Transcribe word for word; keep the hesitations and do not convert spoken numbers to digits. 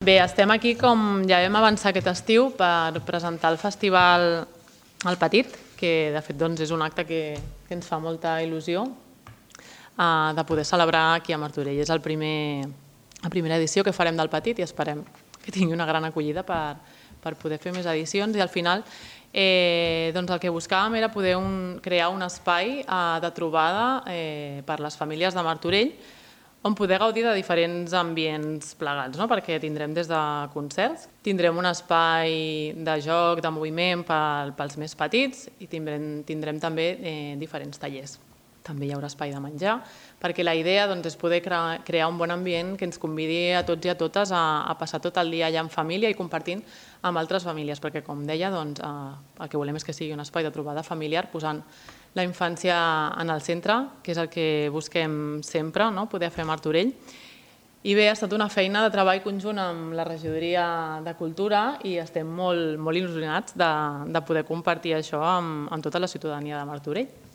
Bé, estem aquí, com ja vam avançar aquest estiu, per presentar el festival El Petit, que de fet doncs, és un acte que, que ens fa molta il·lusió uh, de poder celebrar aquí a Martorell. És el primer, la primera edició que farem del Petit i esperem que tingui una gran acollida per, per poder fer més edicions. I al final eh, doncs el que buscàvem era poder un, crear un espai uh, de trobada eh, per les famílies de Martorell, on poder gaudir de diferents ambients plegats, no? Perquè tindrem des de concerts, tindrem un espai de joc, de moviment pel, pels més petits i tindrem, tindrem també eh, diferents tallers. També hi haurà espai de menjar, perquè la idea doncs, és poder cre crear un bon ambient que ens convidi a tots i a totes a, a passar tot el dia allà en família i compartint amb altres famílies, perquè com deia, doncs, eh, el que volem és que sigui un espai de trobada familiar, posant la infància en el centre, que és el que busquem sempre, no? Poder fer a Martorell. I bé, ha estat una feina de treball conjunt amb la regidoria de Cultura i estem molt, molt il·lusionats de, de poder compartir això amb, amb tota la ciutadania de Martorell.